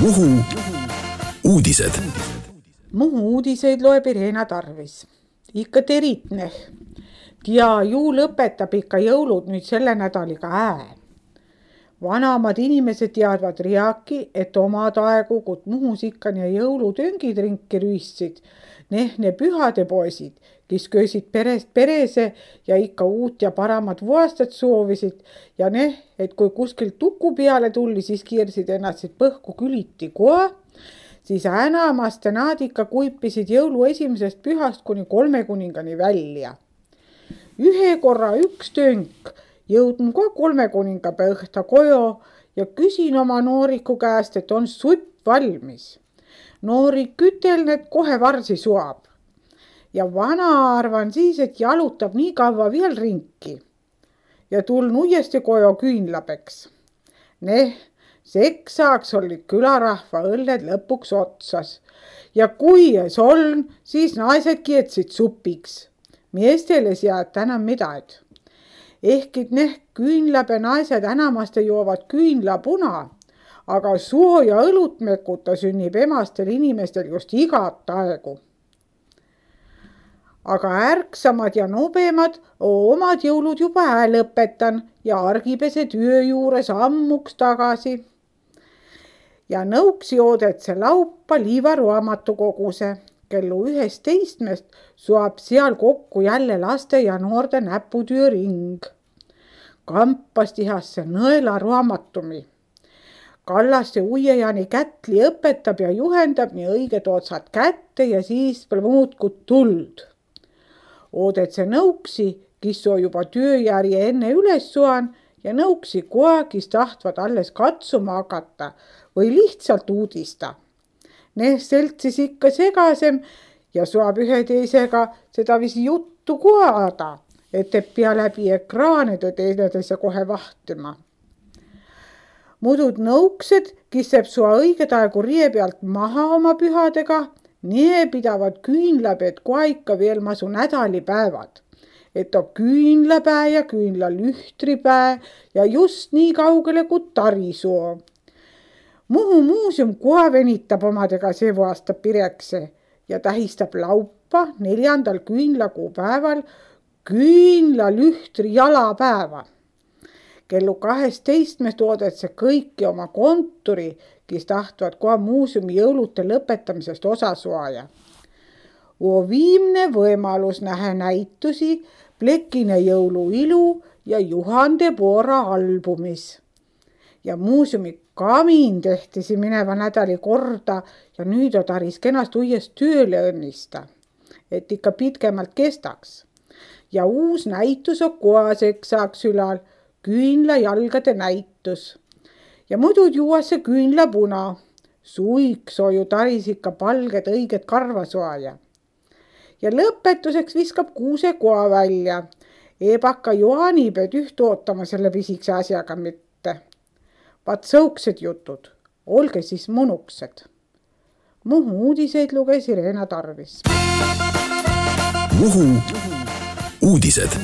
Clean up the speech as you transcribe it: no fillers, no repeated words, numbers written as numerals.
Muhu uudised. Muhu uudiseid loeb Irena Tarvis. Ikka teritneh. Ja juu lõpetab ikka jõulud nüüd selle nädaliga Vanamad inimesed teadvad riaki, et omad aegu, kui Muhus ikka ja jõulutöngid ringi rüüssid, ne pühade poisid, kes köösid perest perese ja ikka uut ja paramat vuastat soovisid ja et kui kuskil tuku peale tulli, siis kiirsid ennast põhku küliti koa, siis enamaste nad ikka kuipisid jõulu esimesest pühast kuni 3 kuningani välja. Ühe korra üks tönk jõudnud ka 3 kuningapäeva õhta kojo ja küsin oma nooriku käest, et on supp valmis. Noorik üteln, et kohe varsi suab. Ja vana arvan siis, et jalutab nii kaua veel ringi. Ja tuln uuesti kojo küünlapeks. Seksaks olid külarahva õlled lõpuks otsas. Ja kui ees oln, siis naised kietsid supiks. Miestele sead enam midagi. Ehkid küünlape naised enamaste joovad küünlapuna, aga suo ja õlut mekuta sünnib emastel inimestel just igat aegu. Aga ärksamad ja nobemad omad jõulud juba lõpetan ja argipese töö juures ammuks tagasi. Ja nõuksi oodetse laupa liivaruamatukoguse. Kellu 11 suab seal kokku jälle laste ja noorte näputöö ring. Kampas tihasse nõela raamatumi. Kallaste uiejani kätli õpetab ja juhendab nii õiged otsad kätte ja siis muudkui tuld. Oodetse nõuksi, kes on juba tööjärje enne üles suan ja nõuksi koa, kes tahtvad alles katsuma hakata või lihtsalt uudista. Seltsis ikka segasem ja suab ühe teisega seda visi juttu kuada, et pea läbi ekraanide teineteise kohe vahtima. Mudud nõuksed, kes jääb sua õiged aegu rie pealt maha oma pühadega, nii pidavad küünlaped kohe ikka veel masu nädalipäevad. Et on küünlapäe ja küünlalühtripäe ja just nii kaugele kui tarisoo. Muhu muuseum kohe venitab omadega see aasta pirekse ja tähistab laupa 4. küünlakuu päeval küünlalühtri jalapäeva. Kellu 12 oodetse kõiki oma kontori, kes tahtvad kohe muuseumi jõulute lõpetamisest osa suaja. Viimne võimalus nähe näitusi Plekine jõuluilu ja Juhande Poora albumis. Ja muuseumi kamin tehtisi mineva nädali korda ja nüüd on taris kenast uuest tööle õnnista, et ikka pitkemalt kestaks. Ja uus näitus on koaseks saaks ülal küünlajalgade näitus. Ja muidu juuasse küünlapuna. Suiks on ju taris ikka palged õiged karvasoaja. Ja lõpetuseks viskab kuuse koa välja. Ebaka Johaniped üht ootama selle pisikse asjaga mitte. Vaat sõuksed jutud, olge siis munuksed. Muhu uudiseid luges Irena Tarvis. Muhu uudised.